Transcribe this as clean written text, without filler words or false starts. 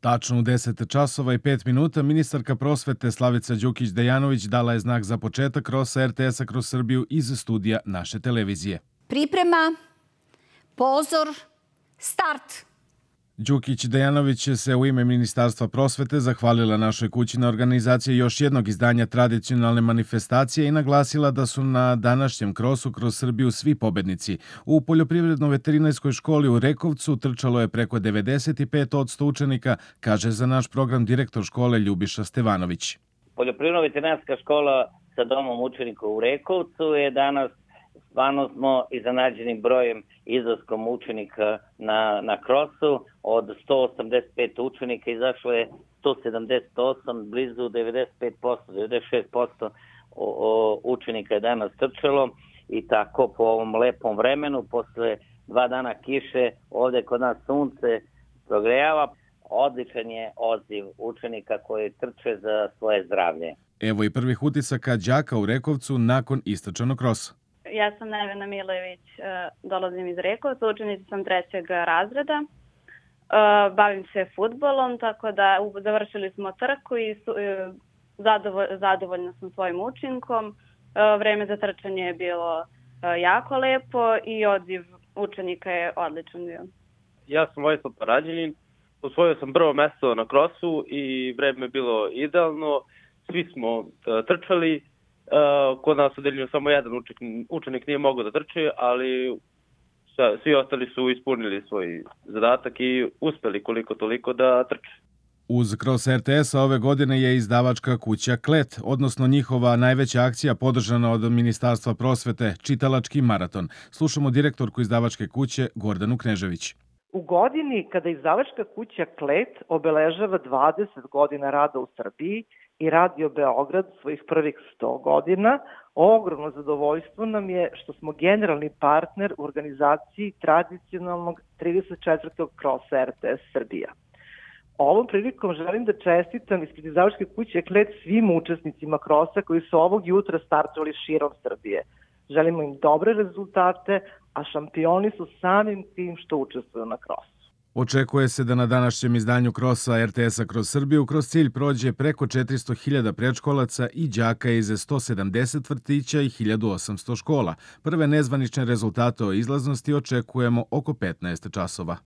Tačno u 10 časova i 5 minuta ministarka prosvete Slavica Đukić-Dejanović dala je znak za početak krosa RTS-a kroz Srbiju iz studija naše televizije. Priprema, pozor, start! Đukić-Dejanović se u ime Ministarstva prosvete zahvalila našoj kući na organizaciji još jednog izdanja tradicionalne manifestacije i naglasila da su na današnjem krosu kroz Srbiju svi pobednici. U Poljoprivredno-veterinarskoj školi u Rekovcu trčalo je preko 95% učenika, kaže za naš program direktor škole Ljubiša Stevanović. Poljoprivredno-veterinarska škola sa domom učenika u Rekovcu je danas stvarno smo iznenađenim brojem izlaskom učenika na krosu. Od 185 učenika izašlo je 178, blizu 95%, 96% učenika je danas trčalo i tako po ovom lepom vremenu, posle 2 dana kiše, ovde kod nas sunce progrejava. Odličan je odziv učenika koji trče za svoje zdravlje. Evo i prvih utisaka đaka u Rekovcu nakon istračanog krosa. Ja sam Nevena Milević, dolazim iz Rekovca, učenica sam 3. razreda. Bavim se fudbalom, tako da završili smo trku i zadovoljna sam svojim učinkom. Vreme za trčanje je bilo jako lepo i odziv učenika je odličan bio. Ja sam Vojislav Parađenin, osvojio sam prvo mesto na krosu i vreme je bilo idealno. Svi smo trčali. Kod nas odeljenju samo jedan učenik nije mogao da trči, ali svi ostali su ispunili svoj zadatak i uspeli koliko toliko da trče. Uz kros RTS-a ove godine je izdavačka kuća Klet, odnosno njihova najveća akcija podržana od Ministarstva prosvete, čitalački maraton. Slušamo direktorku izdavačke kuće Gordanu Knežević. U godini kada izdavačka kuća Klet obeležava 20 godina rada u Srbiji i Radio Beograd svojih prvih 100 godina, ogromno zadovoljstvo nam je što smo generalni partner u organizaciji tradicionalnog 34. krosa RTS Srbija. Ovom prilikom želim da čestitam ispred izdavačke kuće Klet svim učesnicima krosa koji su ovog jutra startovali širom Srbije. Želimo im dobre rezultate, a šampioni su samim tim što učestvuju na krosu. Očekuje se da na današnjem izdanju krosa RTS-a kroz Srbiju kroz cilj prođe preko 400.000 predškolaca i đaka iz 170 vrtića i 1800 škola. Prve nezvanične rezultate o izlaznosti očekujemo oko 15 časova.